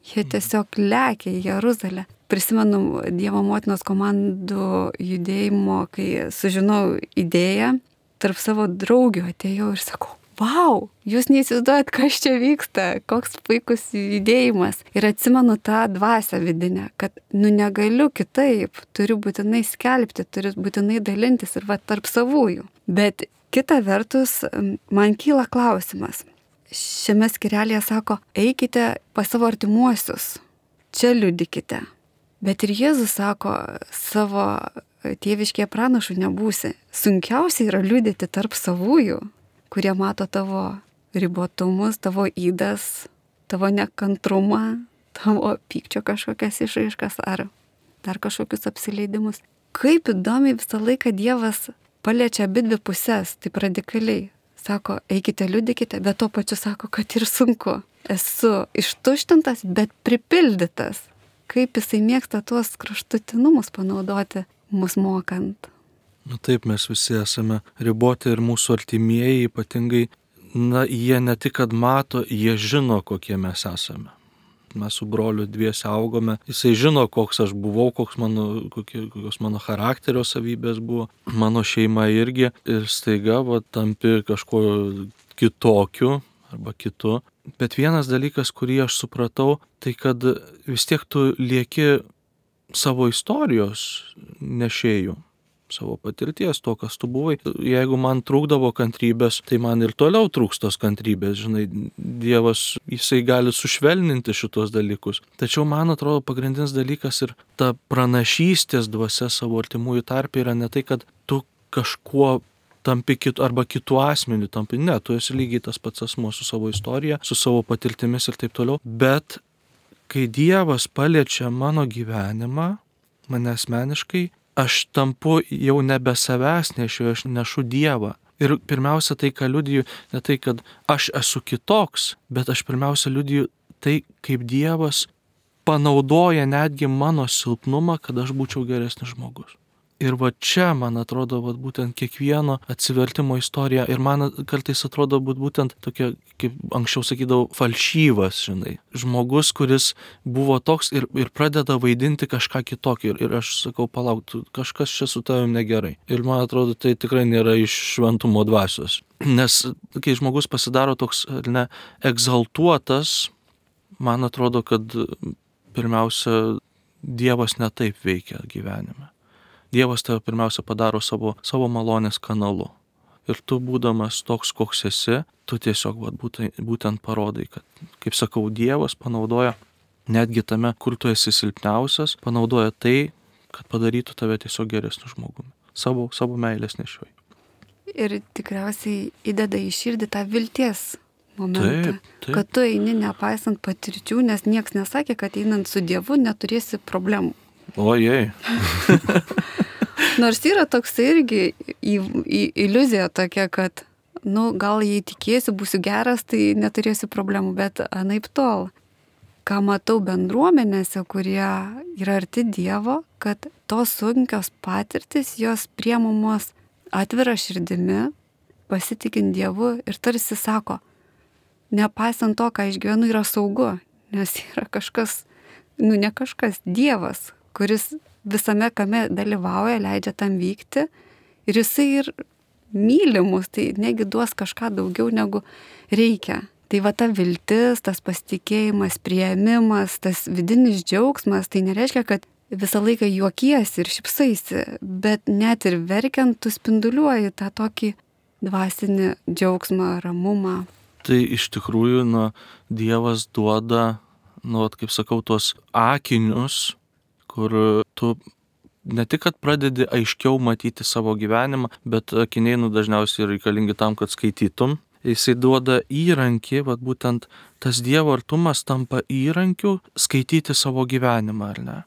Jie tiesiog lekia į Jeruzalę. prisimenu Dievo motinos komandų judėjimo, kai sužinau idėją, tarp savo draugių atėjau ir sakau, vau, jūs neįsivaizduojat, kas čia vyksta, koks puikus judėjimas. Ir atsimenu tą dvasią vidinę, kad nu negaliu kitaip, turiu būtinai skelbti, turiu būtinai dalintis ir va tarp savųjų. Bet kita vertus, man kyla klausimas. Šiame skirelėje sako, eikite pas savo artimuosius, čia liudykite. Bet ir Jėzus sako, savo tėviškėje pranašų nebūsi. Sunkiausia yra liudyti tarp savųjų, kurie mato tavo ribotumus, tavo įdas, tavo nekantrumą, tavo pykčio kažkokias išraiškas ar dar kažkokius apsileidimus. Kaip įdomiai visą laiką Dievas paliečia abidvi pusės, taip radikaliai. Sako, eikite, liudykite, bet tuo pačiu sako, kad ir sunku. Esu ištuštintas, bet pripildytas. Kaip jisai mėgsta tuos kraštutinumus panaudoti, mus mokant. Na taip, mes visi esame riboti ir mūsų artimieji ypatingai, na, jie ne tik kad mato, jie žino, kokie mes esame. Mes su broliu dviese augome, jisai žino, koks aš buvau, koks mano, kokie, kokios mano charakterio savybės buvo, mano šeima irgi, ir staiga va, tampi kažko kitokiu arba kitu. Bet vienas dalykas, kurį aš supratau, tai kad vis tiek tu lieki savo istorijos nešėjų, savo patirties, to, kas tu buvai. Jeigu man trūkdavo kantrybės, tai man ir toliau trūks tos kantrybės, žinai, Dievas, jisai gali sušvelninti šitos dalykus. Tačiau man atrodo pagrindinis dalykas ir ta pranašystės dvasia savo artimųjų tarpe yra ne tai, kad tu kažkuo tampi kitu, arba kitu asmeniu tampi, ne, tu esi lygiai tas pats asmuo su savo istorija, su savo patirtimis ir taip toliau, bet kai Dievas paliečia mano gyvenimą, mane asmeniškai, aš tampu jau nebe savęs nešiu, aš nešu Dievą. Ir pirmiausia tai, ką liudiju, ne tai, kad aš esu kitoks, bet aš pirmiausia liudiju tai, kaip Dievas panaudoja netgi mano silpnumą, kad aš būčiau geresnis žmogus. Ir va čia, man atrodo, va, būtent kiekvieno atsivertimo istorija, ir man kartais atrodo būt būtent tokia, kaip anksčiau sakydavau, falšyvas, žinai. Žmogus, kuris buvo toks ir, ir pradeda vaidinti kažką kitokį. Ir, ir aš sakau, palauk, kažkas čia su tavim negerai. Ir man atrodo, tai tikrai nėra iš šventumo dvasios. Nes kai žmogus pasidaro toks, ne, egzaltuotas, man atrodo, kad pirmiausia, Dievas ne taip veikia gyvenime. Dievas tave pirmiausia padaro savo, savo malonės kanalu. Ir tu, būdamas toks, koks esi, tu tiesiog vat, būtent, būtent parodai, kad, kaip sakau, Dievas panaudoja netgi tame, kur tu esi silpniausias, panaudoja tai, kad padarytų tave tiesiog geresniu žmogumi. Savo, savo meilės nešioji. Ir tikriausiai įdeda į širdį tą vilties momentą. Taip, taip. Kad tu eini nepaisant patirčių, nes nieks nesakė, kad einant su Dievu neturėsi problemų. Ojei. Nors yra toks irgi į, į, iliuzija tokia, kad, nu, gal jei tikėsiu, būsiu geras, tai neturėsiu problemų, bet anaip tol. Ką matau bendruomenėse, kurie yra arti Dievo, kad tos sunkios patirtis, jos priemamos atvira širdimi, pasitikint Dievu ir tarsi sako, nepaisant to, ką išgyvenu, yra saugu, nes yra kažkas, nu ne kažkas, Dievas, kuris visame kame dalyvauja, leidžia tam vykti ir jisai ir myli mus, tai negi duos kažką daugiau negu reikia. Tai va ta viltis, tas pasitikėjimas, priėmimas, tas vidinis džiaugsmas, tai nereiškia, kad visą laiką juokiesi ir šypsaisi, bet net ir verkiant tu spinduliuoji tą tokį dvasinį džiaugsmą, ramumą. Tai iš tikrųjų, nu, Dievas duoda, nu, kaip sakau, tuos akinius, kur tu ne tik, kad pradedi aiškiau matyti savo gyvenimą, bet akiniai, nu, dažniausiai reikalingi tam, kad skaitytum. Jisai duoda įrankį, vat būtent tas Dievo artumas tampa įrankiu skaityti savo gyvenimą, ar ne?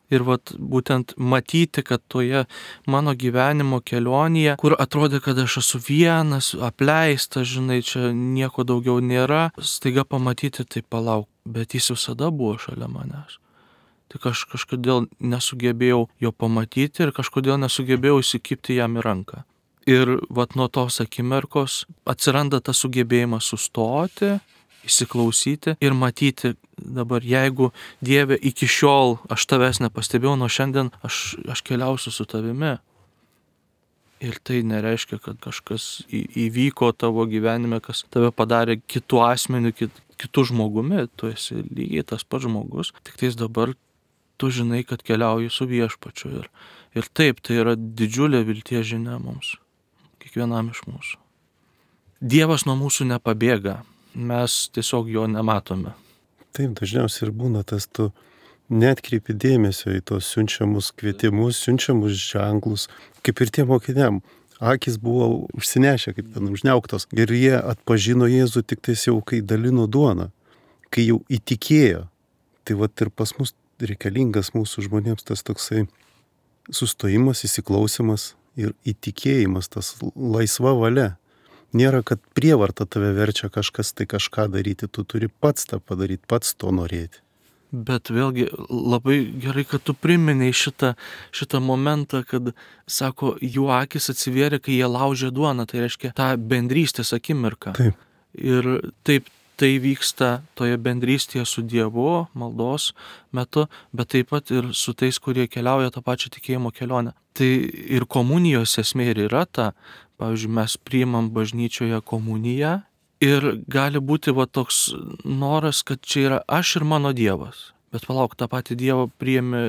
Ir vat būtent matyti, kad toje mano gyvenimo kelionėje, kur atrodė, kad aš esu vienas, apleistas, žinai, čia nieko daugiau nėra, staiga pamatyti, tai palauk, bet jis visada buvo šalia manęs. Tik aš kažkodėl nesugebėjau jo pamatyti ir kažkodėl nesugebėjau įsikibti jam į ranką. Ir vat nuo tos akimirkos atsiranda tas sugebėjimas sustoti įsiklausyti ir matyti dabar, jeigu Dieve iki šiol aš tavęs nepastebėjau, nuo šiandien aš, aš keliausiu su tavimi. Ir tai nereiškia, kad kažkas įvyko tavo gyvenime, kas tave padarė kitų asmenių, kit, kitų žmogumi. Tu esi lygiai tas pats žmogus, tik tais dabar tu žinai, kad keliauji su Viešpačiu. Ir, ir taip, tai yra didžiulė vilties žinia mums, kiekvienam iš mūsų. Dievas nuo mūsų nepabėga, mes tiesiog jo nematome. Taip, dažniausiai ir būna tas, tu neatkreipi dėmesio į tos siunčiamus kvietimus, siunčiamus ženklus, kaip ir tie mokiniam. Akis buvo užsinešę, kaip ten užniauktos. Ir jie atpažino Jėzų tik tais jau, kai dalino duoną, kai jau įtikėjo. Tai vat ir pas mus reikalingas mūsų žmonėms tas toksai sustojimas, įsiklausimas ir įtikėjimas, tas laisva valia. Nėra, kad prievarta tave verčia kažkas tai kažką daryti, tu turi pats tą padaryti, pats to norėti. Bet vėlgi labai gerai, kad tu priminei šitą, šitą momentą, kad, sako, jų akis atsivėrė, kai jie laužė duoną, tai reiškia tą bendrystės akimirką. Taip. Ir taip tai vyksta toje bendrystėje su Dievu, maldos metu, bet taip pat ir su tais, kurie keliauja tą pačią tikėjimo kelionę. Tai ir komunijos esmė ir yra ta, pavyzdžiui, mes priimam bažnyčioje komuniją ir gali būti va toks noras, kad čia yra aš ir mano Dievas. Bet palauk, tą patį Dievą priėmė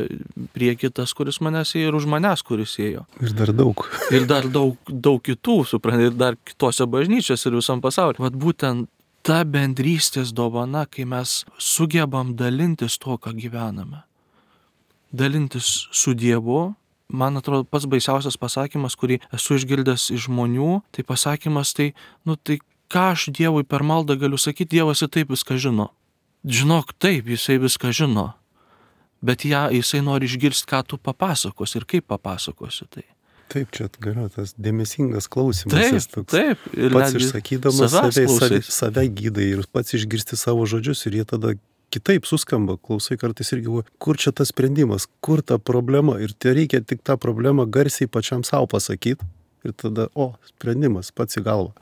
prie kitas, kuris manęs ėjo, ir už manęs, kuris ėjo. Ir dar daug. Ir dar daug, daug kitų, suprantate, ir dar kitose bažnyčiose ir visam pasaulyje. Vat būtent ta bendrystės dovana, kai mes sugebam dalintis to, ką gyvename. Dalintis su Dievu. Man atrodo, pats baisiausias pasakymas, kurį esu išgirdęs iš žmonių, tai pasakymas, tai, nu tai ką aš Dievui per maldą galiu sakyti, Dievas ir taip viską žino. Žinok, taip, jisai viską žino, bet ją, jisai nori išgirsti, ką tu papasakosi ir kaip papasakosi tai. Taip, čia galioja tas dėmesingas klausimas. Taip, toks, taip. Ir pats išsakydamas save, save, save gydai ir pats išgirsti savo žodžius ir jie tada kitaip suskamba, klausai kartais irgi, kur čia tas sprendimas, kur ta problema ir tai reikia tik tą problemą garsiai pačiam savo pasakyti ir tada, o, sprendimas pats į galvą.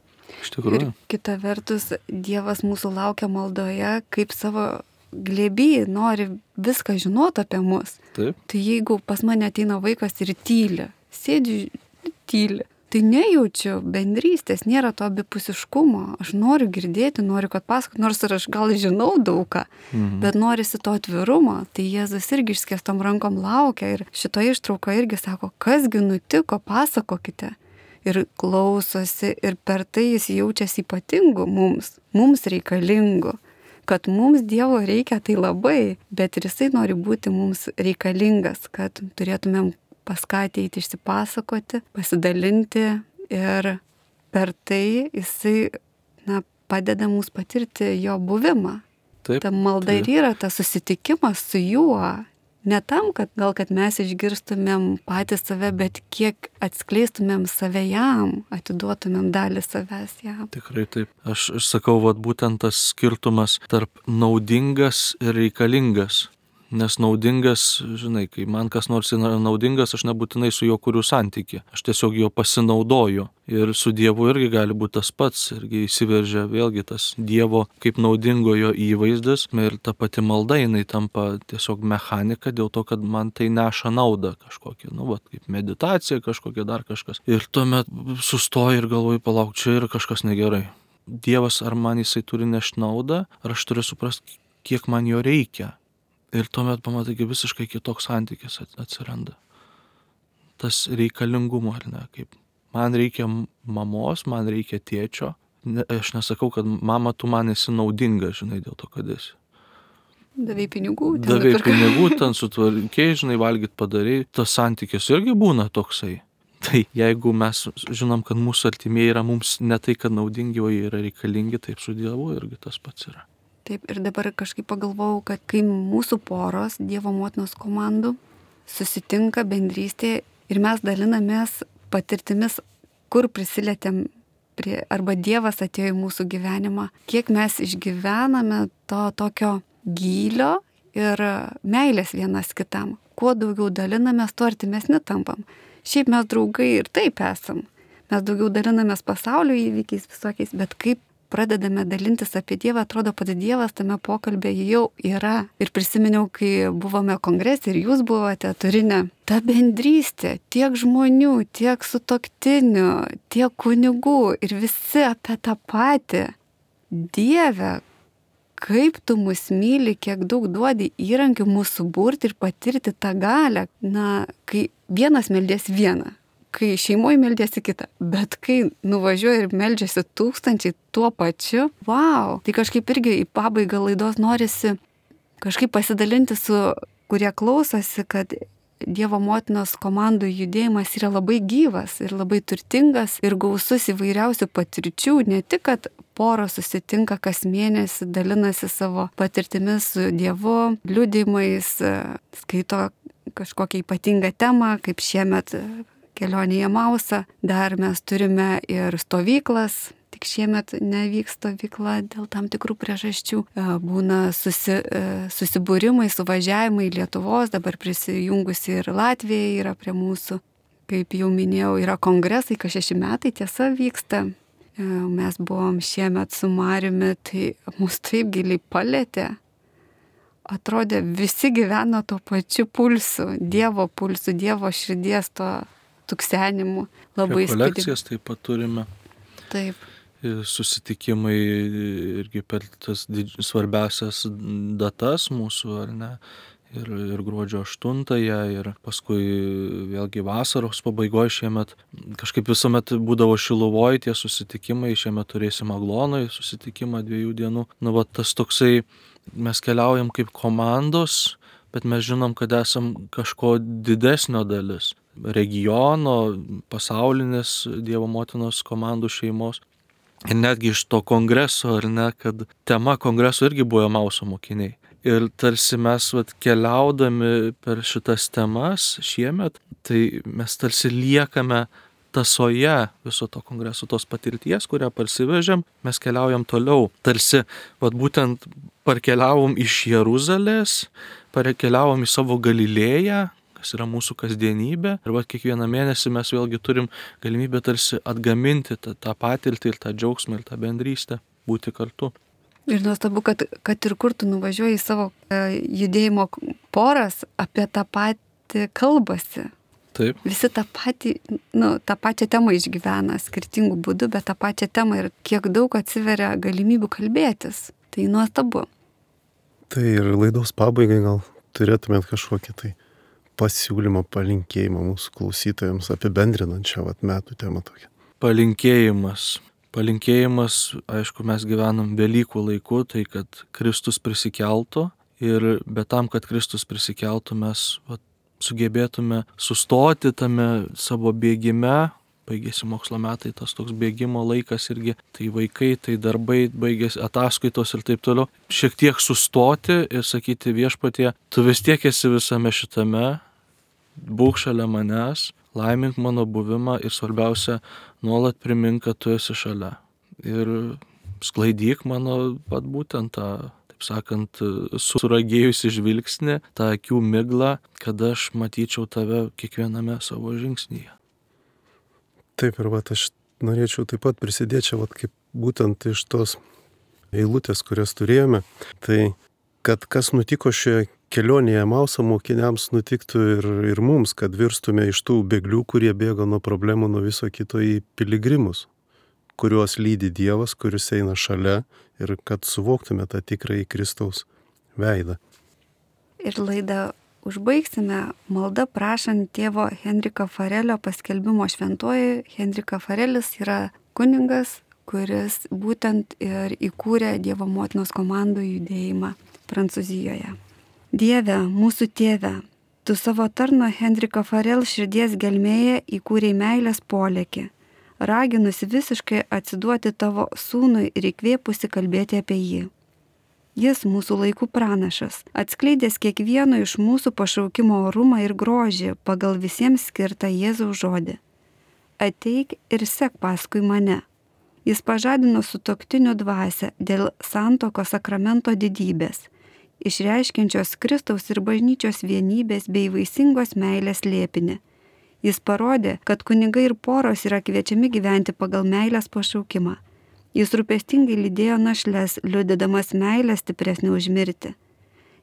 Iš tikrųjų. Ir kita vertus, Dievas mūsų laukia maldoje, kaip savo glėby nori viską žinoti apie mus. Taip. Tai jeigu pas mane ateina vaikas ir tyli, sėdži tyli, tai nejaučiu bendrystės, nėra to abipusiškumo. Aš noriu girdėti, noriu, kad pasakot, nors ir aš gal žinau daugą, mhm. bet norisi to atvirumo. Tai Jėzus irgi išskėstom rankom laukia ir šito ištrauko irgi sako, kasgi nutiko, pasakokite. Ir klausosi ir per tai jis jaučiasi ypatingu mums, mums reikalingu. Kad mums Dievo reikia tai labai, bet ir jisai nori būti mums reikalingas, kad turėtumėm pas ką ateiti išsipasakoti, pasidalinti ir per tai jisai na, padeda mums patirti jo buvimą. Taip, ta malda taip. Ir yra tas susitikimas su juo. Ne tam, kad gal kad mes išgirstumėm patys save, bet kiek atskleistumėm save jam, atiduotumėm dalį savęs jam. Tikrai taip. Aš, aš sakau, vat būtent tas skirtumas tarp naudingas ir reikalingas. Nes naudingas, žinai, kai man kas nors yra naudingas, aš nebūtinai su juo kuriu santykį. Aš tiesiog jo pasinaudoju. Ir su Dievu irgi gali būti tas pats. Irgi įsiveržia vėlgi tas Dievo kaip naudingojo įvaizdis. Ir ta pati malda, jinai tampa tiesiog mechanika dėl to, kad man tai neša naudą kažkokią. Nu, va, kaip meditacija kažkokia, dar kažkas. Ir tuomet sustoju ir galvoju, palauk, čia yra kažkas negerai. Dievas, ar man jisai turi nešti naudą, ar aš turiu suprasti, kiek man jo reikia. Ir tuomet pamatai, kaip visiškai kitoks santykis atsiranda. Tas reikalingumo, ar ne? Kaip man reikia mamos, man reikia tėčio. Ne, aš nesakau, kad mama, tu man esi naudinga, žinai, dėl to, kad esi. Davai pinigų. Davai pinigų, ten sutvarkiai, žinai, valgyt padarėjai. Tas santykis irgi būna toksai. Tai jeigu mes žinom, kad mūsų artimieji yra mums ne tai, kad naudingi, o jie yra reikalingi, taip su Dievu irgi tas pats yra. Taip, ir dabar kažkaip pagalvojau, kad kai mūsų poros, Dievo motinos komandų, susitinka bendrystėje ir mes dalinamės patirtimis, kur prisilietėm prie, arba Dievas atėjo į mūsų gyvenimą, kiek mes išgyvename to tokio gylio ir meilės vienas kitam. Kuo daugiau dalinamės, tuo artimesni tampam. Šiaip mes draugai ir taip esam. Mes daugiau dalinamės pasaulio įvykiais visokiais, bet kaip pradedame dalintis apie Dievą, atrodo, pats Dievas tame pokalbėje jau yra. Ir prisiminiau, kai buvome kongrese ir jūs buvote Turine, ta bendrystė, tiek žmonių, tiek sutuoktinių, tiek kunigų ir visi apie tą patį. Dieve, kaip tu mus myli, kiek daug duodi įrankių mūsų burti ir patirti tą galę. Na, kai vienas meldės vieną, kai šeimoje meldėsi kitą, bet kai nuvažiuoja ir meldžiasi tūkstančiai tuo pačiu, wow, tai kažkaip irgi į pabaigą laidos norisi kažkaip pasidalinti su, kurie klausosi, kad Dievo motinos komandų judėjimas yra labai gyvas ir labai turtingas ir gausus įvairiausių patirčių, ne tik, kad poros susitinka kas mėnesį, dalinasi savo patirtimis su Dievu, liudijimais, skaito kažkokią ypatingą temą, kaip šiemet kelionė į Emausą. Dar mes turime ir stovyklas, tik šiemet nevyks stovykla dėl tam tikrų priežasčių. Būna susi, susibūrimai, suvažiavimai Lietuvos, dabar prisijungusi ir Latvija yra prie mūsų. Kaip jau minėjau, yra kongresai, kas šeši metai tiesa vyksta. Mes buvom šiemet su Mariumi, tai mus taip giliai palėtė. Atrodė, visi gyveno tuo pačiu pulsu, Dievo pulsu, Dievo širdies to tuksenimu. Labai rekolekcijas taip pat turime. Taip. Susitikimai irgi per tas didž... svarbiausias datas mūsų, ar ne? Ir, ir gruodžio aštuntąją, ir paskui vėlgi vasaros pabaigoje šiemet. Kažkaip visuomet būdavo Šiluvoj tie susitikimai, šiemet turėsim Aglonoj susitikimą dviejų dienų. Nu, va, tas toksai, mes keliaujam kaip komandos, bet mes žinom, kad esam kažko didesnio dalis. Regiono, pasaulinės Dievo motinos komandų šeimos. Ir netgi iš to kongreso, ar ne, kad tema kongreso irgi buvo Emauso mokiniai. Ir tarsi mes vat, keliaudami per šitas temas šiemet, tai mes tarsi liekame tasoje viso to kongreso, tos patirties, kurią parsivežėm, mes keliaujam toliau. Tarsi vat, būtent parkeliavom iš Jeruzalės, parkeliavom į savo Galilėją, kas yra mūsų kasdienybė. Ir va, kiekvieną mėnesį mes vėlgi turim galimybę tarsi atgaminti tą, tą patirtį ir tą džiaugsmą ir tą bendrystę, būti kartu. Ir nuostabu, kad, kad ir kur tu nuvažiuoji į savo e, judėjimo poras, apie tą patį kalbasi. Taip. Visi tą patį, nu, tą pačią temą išgyvena skirtingų būdų, bet tą pačią temą ir kiek daug atsiveria galimybių kalbėtis. Tai nuostabu. Tai ir laidos pabaigai gal turėtumėt kažkokį tai pasiūlymą, palinkėjimą mūsų klausytojams apibendrinančią vat, metų temą tokią. Palinkėjimas. Palinkėjimas, aišku, mes gyvenam Velykų laiku, tai kad Kristus prisikeltų ir bet tam, kad Kristus prisikeltų, mes vat, sugebėtume sustoti tame savo bėgime. Baigėsi mokslo metai, tas toks bėgimo laikas irgi, tai vaikai, tai darbai, baigėsi ataskaitos ir taip toliau. Šiek tiek sustoti ir sakyti Viešpatie, tu vis tiek esi visame šitame, būk šalia manęs, laimink mano buvimą ir svarbiausia, nuolat primink, kad tu esi šalia. Ir sklaidyk mano pat būtent tą, taip sakant, suragėjusi žvilgsnį, tą akių miglą, kad aš matyčiau tave kiekviename savo žingsnyje. Taip, ir vat, aš norėčiau taip pat prisidėti čia, vat, kaip būtent iš tos eilutės, kurias turėjome, tai kad kas nutiko šioje kelionėje Emauso mokiniams nutiktų ir, ir mums, kad virstume iš tų bėglių, kurie bėga nuo problemų, nuo viso kito į piligrimus, kuriuos lydi Dievas, kuris eina šalia ir kad suvoktume tą tikrąjį Kristaus veidą. Ir laidą užbaigsime maldą prašant tėvo Henriko Farelio paskelbimo šventuoju. Henrika Farelis yra kuningas, kuris būtent ir įkūrė Dievo motinos komandų judėjimą Prancūzijoje. Dieve, mūsų tėve, tu savo tarno Henriko Farel širdies gelmėje įkūrei meilės polėkį, raginusi visiškai atsiduoti tavo sūnui ir įkvėpusi kalbėti apie jį. Jis mūsų laikų pranašas, atskleidęs kiekvieno iš mūsų pašaukimo orumą ir grožį pagal visiems skirtą Jėzaus žodį. Ateik ir sek paskui mane. Jis pažadino sutuoktinių dvasią dėl santuokos sakramento didybės, išreiškiančios Kristaus ir bažnyčios vienybės bei vaisingos meilės slėpinį. Jis parodė, kad kunigai ir poros yra kviečiami gyventi pagal meilės pašaukimą. Jis rūpestingai lydėjo našles, liudydamas meilę stipresnį už mirtį.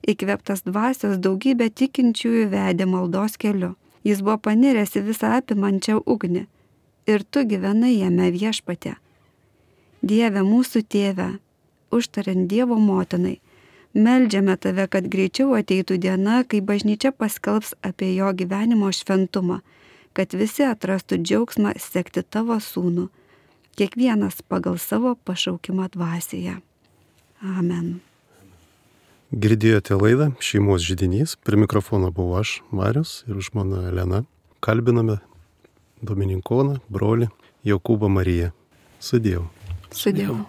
Įkvėptas dvasios daugybė tikinčiųjų vedė maldos keliu. Jis buvo paniręs į visą apimančią ugnį. Ir tu gyvenai jame, Viešpatie. Dieve mūsų tėve, užtariant Dievo motinai, meldžiame tave, kad greičiau ateitų diena, kai bažnyčia paskelbs apie jo gyvenimo šventumą, kad visi atrastų džiaugsmą sekti tavo sūnų, kiekvienas pagal savo pašaukimą dvasioje. Amen. Girdėjote laidą Šeimos židinys. Prie mikrofono buvau aš, Marius, ir žmona Elena. Kalbiname Dominikoną, brolį Jokūbą Mariją. Sudėjau. Sudėjau.